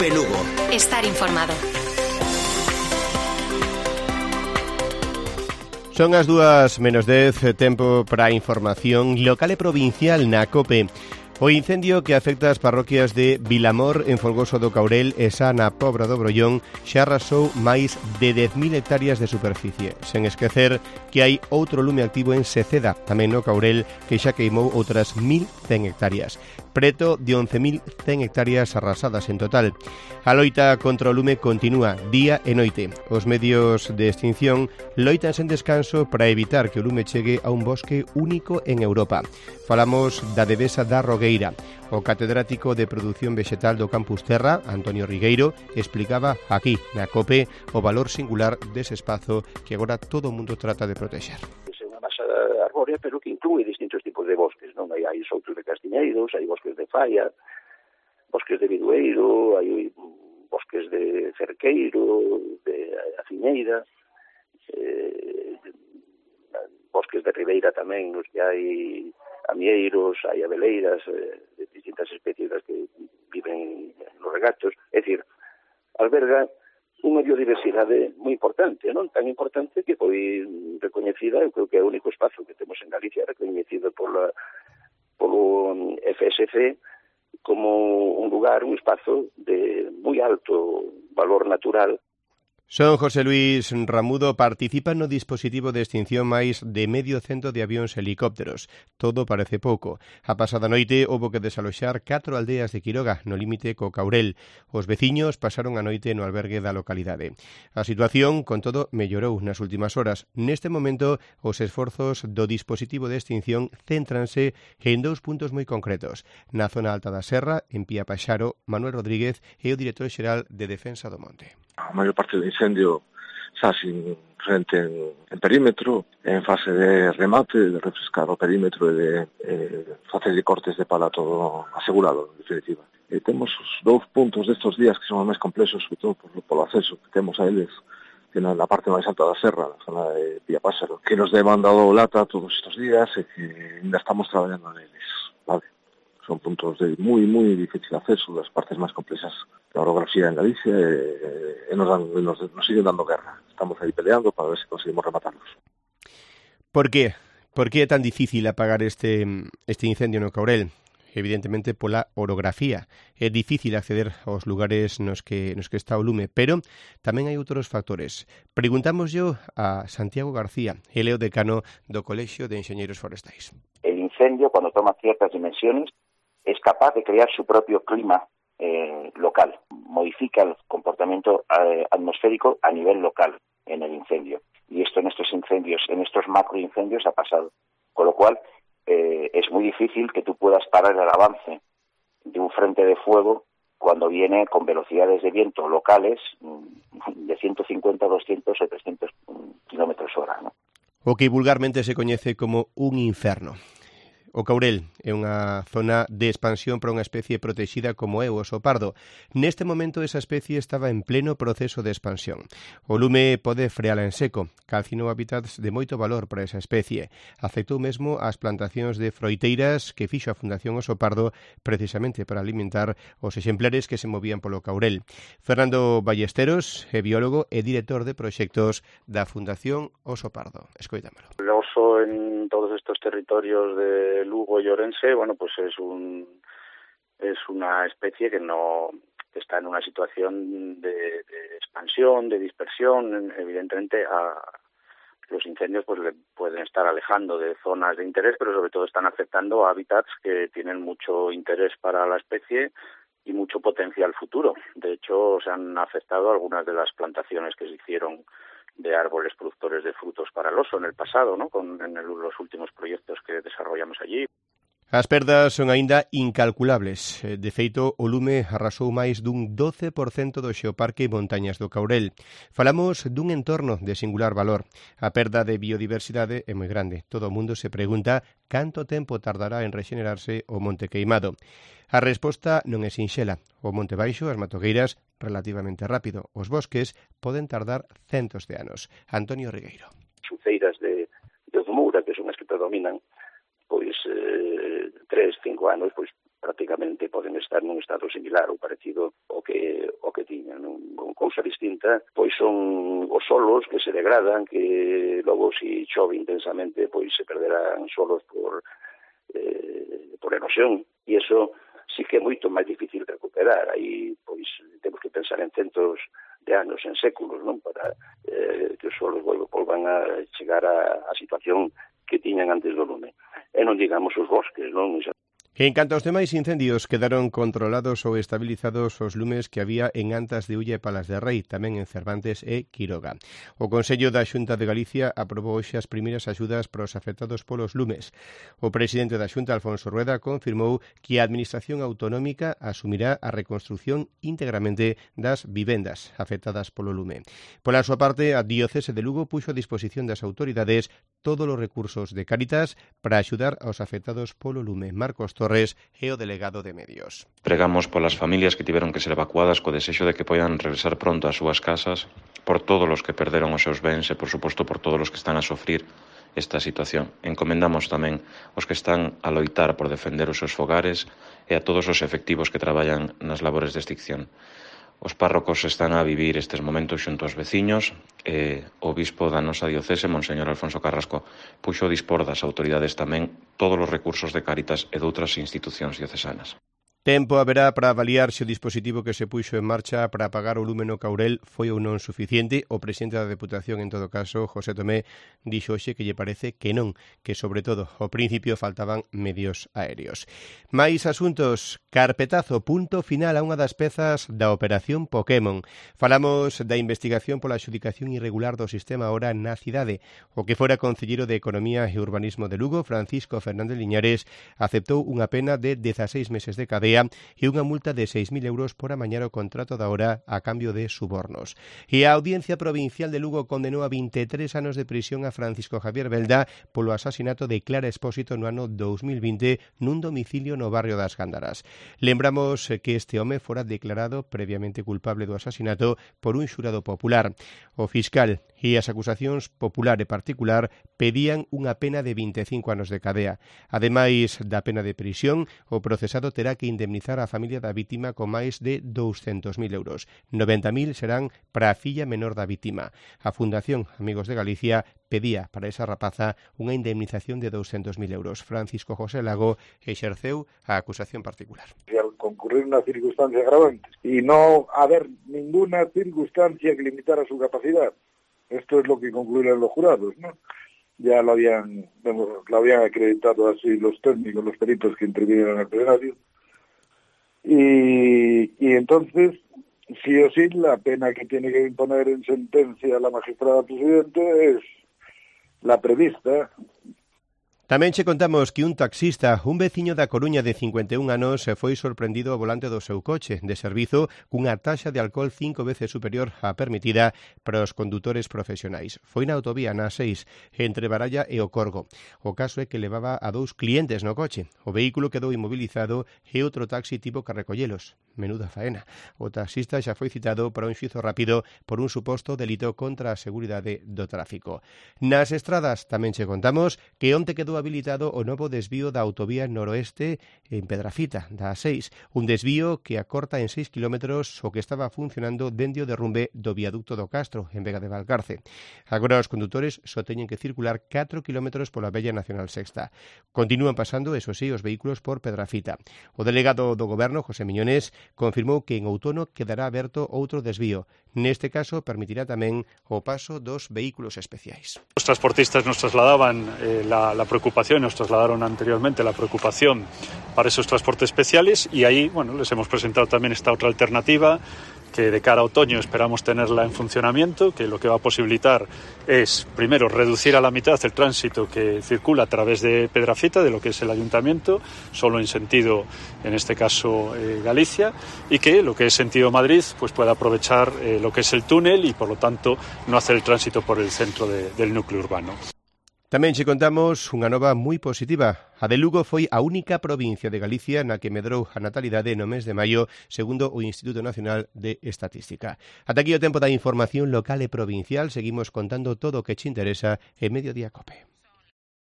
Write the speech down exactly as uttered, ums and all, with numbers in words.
COPE Lugo. Estar informado. Son as dúas menos dez, tempo para a información local e provincial na COPE. O incendio que afecta as parroquias de Vilamor, en Folgoso do Caurel e Sa na Pobra do Brollón xa arrasou máis de dez mil hectáreas de superficie. Sen esquecer que hai outro lume activo en Seceda, tamén no Caurel, que xa queimou outras mil cen hectáreas. Preto de once mil cen hectáreas arrasadas en total. A loita contra o lume continúa día e noite. Os medios de extinción loitan sen descanso para evitar que o lume chegue a un bosque único en Europa. Falamos da devesa da Rogueira. O catedrático de Produción Vegetal do Campus Terra, Antonio Rigueiro, explicaba aquí, na COPE, o valor singular dese espazo que agora todo o mundo trata de protexer. É unha masa arbórea, pero que inclúe distintos tipos de bosques, non? Hai, hai outros de castiñeiros, hai bosques de falla, bosques de bidueiro, hai bosques de cerqueiro, de aciñeira, eh, bosques de ribeira tamén, nos que hai amieiros, hai abeleiras, eh, de distintas especies das que viven nos regatos. É dicir, alberga unha biodiversidade moi importante, non? Tan importante que foi recoñecida, eu creo que é o único espazo que temos en Galicia recoñecido pola, polo F S C como un lugar, un espazo de moi alto valor natural. Son José Luis Ramudo participa no dispositivo de extinción máis de medio cento de avións e helicópteros. Todo parece pouco. A pasada noite houbo que desaloxar catro aldeas de Quiroga, no límite co Caurel. Os veciños pasaron a noite no albergue da localidade. A situación, con todo, mellorou nas últimas horas. Neste momento, os esforzos do dispositivo de extinción céntranse en dous puntos moi concretos. Na zona alta da Serra, en Pía Paxaro, Manuel Rodríguez é o director xeral de Defensa do Monte. A maior parte do incendio xa sin frente en, en perímetro, en fase de remate, de refrescar o perímetro e de eh, facer de cortes de pala todo asegurado, en definitiva. E temos os dous puntos destes días que son os máis complexos, sobre todo por, polo acceso que temos a eles, que na, na parte máis alta da serra, na zona de Pía Páxaro, que nos deman dado lata todos estes días e que ainda estamos traballando neles, vale? Son puntos de moi, moi difícil acceso das partes máis complexas da orografía en Galicia e, e nos, dan, nos, nos siguen dando guerra. Estamos aí peleando para ver se conseguimos rematarlos. Por qué? Por que é tan difícil apagar este, este incendio no Caurel? Evidentemente pola orografía. É difícil acceder aos lugares nos que, nos que está o lume, pero tamén hai outros factores. Preguntámoslle a Santiago García, ele é o decano do Colexio de Enxeñeiros Forestais. El incendio, cuando toma ciertas dimensiones, es capaz de crear su propio clima eh, local, modifica el comportamiento eh, atmosférico a nivel local en el incendio. Y esto en estos incendios, en estos macroincendios ha pasado. Con lo cual, eh, es muy difícil que tú puedas parar el avance de un frente de fuego cuando viene con velocidades de viento locales de ciento cincuenta, doscientos o trescientos kilómetros hora, ¿no? O que vulgarmente se coñece como un inferno. O Caurel é unha zona de expansión para unha especie protexida como é o oso pardo. Neste momento esa especie estaba en pleno proceso de expansión. O lume pode freala en seco, calcinou hábitats de moito valor para esa especie. Afectou mesmo as plantacións de froiteiras que fixo a Fundación Oso Pardo precisamente para alimentar os exemplares que se movían polo Caurel. Fernando Ballesteros é biólogo e director de proxectos da Fundación Oso Pardo. Escoitámelo. El oso en todos estos territorios de Lugo y Orense, bueno, pues es un es una especie que no que está en una situación de, de expansión, de dispersión. Evidentemente, a los incendios pues le pueden estar alejando de zonas de interés, pero sobre todo están afectando a hábitats que tienen mucho interés para la especie y mucho potencial futuro. De hecho, se han afectado algunas de las plantaciones que se hicieron de árboles productores de frutos para el oso en el pasado, ¿no? Con en el, los últimos proyectos que desarrollamos allí. As perdas son aínda incalculables. De feito, o lume arrasou máis dun doce por cento do xeoparque Montañas do Caurel. Falamos dun entorno de singular valor. A perda de biodiversidade é moi grande. Todo o mundo se pregunta canto tempo tardará en rexenerarse o monte queimado. A resposta non é sinxela. O monte baixo, as matogueiras, relativamente rápido. Os bosques poden tardar centos de anos. Antonio Rigueiro. Suceiras de, de Zumura, que son as que predominan, pois eh, tres, cinco anos, pois prácticamente poden estar nun estado similar ou parecido ao que o que tiñan, non? Cousa distinta, pois son os solos que se degradan, que logo si chove intensamente, pois se perderán solos por eh, por erosión, e iso sí que é moito máis difícil recuperar. Aí, pois, temos que pensar en centos de anos, en séculos, non? Para eh, que os solos volvan a chegar a, a situación que tiñan antes do lume. E non digamos os bosques, non? En canto aos demais incendios, quedaron controlados ou estabilizados os lumes que había en Antas de Ulla e Palas de Rei, tamén en Cervantes e Quiroga. O Consello da Xunta de Galicia aprobou hoxe as primeiras axudas para os afectados polos lumes. O presidente da Xunta, Alfonso Rueda, confirmou que a Administración Autonómica asumirá a reconstrución íntegramente das vivendas afectadas polo lume. Pola súa parte, a Diocese de Lugo puxo a disposición das autoridades todos os recursos de Cáritas para axudar aos afectados polo lume. Marcos Torres é o delegado de Medios. Pregamos polas familias que tiveron que ser evacuadas co desexo de que poidan regresar pronto ás súas casas, por todos os que perderon os seus bens e, por suposto, por todos os que están a sofrir esta situación. Encomendamos tamén os que están a loitar por defender os seus fogares e a todos os efectivos que traballan nas labores de extinción. Os párrocos están a vivir estes momentos xunto aos veciños e o bispo da nosa diocese, Monseñor Alfonso Carrasco, puxo a dispor das autoridades tamén todos os recursos de Cáritas e doutras institucións diocesanas. Tempo haberá para avaliar se o dispositivo que se puxo en marcha para apagar o lume no Caurel foi ou non suficiente. O presidente da Deputación, en todo caso, José Tomé, dixo hoxe que lle parece que non, que sobre todo ao principio faltaban medios aéreos. Mais asuntos, carpetazo, punto final a unha das pezas da Operación Pokémon. Falamos da investigación pola adxudicación irregular do sistema Hora na cidade. O que fora concelleiro de Economía e Urbanismo de Lugo, Francisco Fernández Liñares, aceptou unha pena de dezaseis meses de cadea e unha multa de seis mil euros por amañar o contrato da Hora a cambio de subornos. E a Audiencia Provincial de Lugo condenou a vinte e tres anos de prisión a Francisco Javier Belda polo asasinato de Clara Expósito no ano dous mil vinte nun domicilio no barrio das Gándaras. Lembramos que este home fora declarado previamente culpable do asasinato por un xurado popular. O fiscal e as acusacións popular e particular pedían unha pena de vinte e cinco anos de cadea. Ademais da pena de prisión, o procesado terá que indemnizar a familia da vítima con máis de douscentos mil euros. noventa mil serán para a filla menor da vítima. A Fundación Amigos de Galicia pedía para esa rapaza unha indemnización de douscentos mil euros. Francisco José Lago exerceu a acusación particular. Al concurrir una circunstancia agravante y no haber ninguna circunstancia que limitara su capacidad. Esto es lo que concluyeron los jurados, ¿no? Ya lo habían, bueno, lo habían acreditado así los técnicos, los peritos que intervinieron en el plenario. Y, y entonces, sí o sí, la pena que tiene que imponer en sentencia la magistrada presidente es la prevista. Tamén che contamos que un taxista, un veciño da Coruña de cincuenta e un anos, foi sorprendido ao volante do seu coche de servizo cunha taxa de alcohol cinco veces superior á permitida para os condutores profesionais. Foi na autovía na seis, entre Baralla e o Corgo. O caso é que levaba a dous clientes no coche. O vehículo quedou inmobilizado e outro taxi tivo que recollelos. Menuda faena. O taxista xa foi citado para un xuízo rápido por un suposto delito contra a seguridade do tráfico. Nas estradas tamén che contamos que onte quedou habilitado o novo desvío da autovía noroeste en Pedrafita, da A seis, un desvío que acorta en seis kilómetros o que estaba funcionando dende o derrumbe do viaducto do Castro, en Vega de Valcarce. Agora os condutores só teñen que circular catro kilómetros pola Vella Nacional Sexta. Continúan pasando, eso sí, os vehículos por Pedrafita. O delegado do Goberno, José Miñones, confirmou que en outono quedará aberto outro desvío. Neste caso, permitirá tamén o paso dos vehículos especiais. Los transportistas nos trasladaban eh, la, la preocupación, nos trasladaron anteriormente la preocupación para esos transportes especiales y ahí, bueno, les hemos presentado también esta otra alternativa que de cara a otoño esperamos tenerla en funcionamiento, que lo que va a posibilitar es, primero, reducir a la mitad el tránsito que circula a través de Pedrafita, de lo que es el ayuntamiento, solo en sentido, en este caso, eh, Galicia, y que lo que es sentido Madrid pues pueda aprovechar eh, lo que es el túnel y, por lo tanto, no hacer el tránsito por el centro de, del núcleo urbano. Tamén che contamos unha nova moi positiva. A de Lugo foi a única provincia de Galicia na que medrou a natalidade no mes de maio, segundo o Instituto Nacional de Estatística. Ata aquí o tempo da información local e provincial. Seguimos contando todo o que che interesa en Mediodía Cope.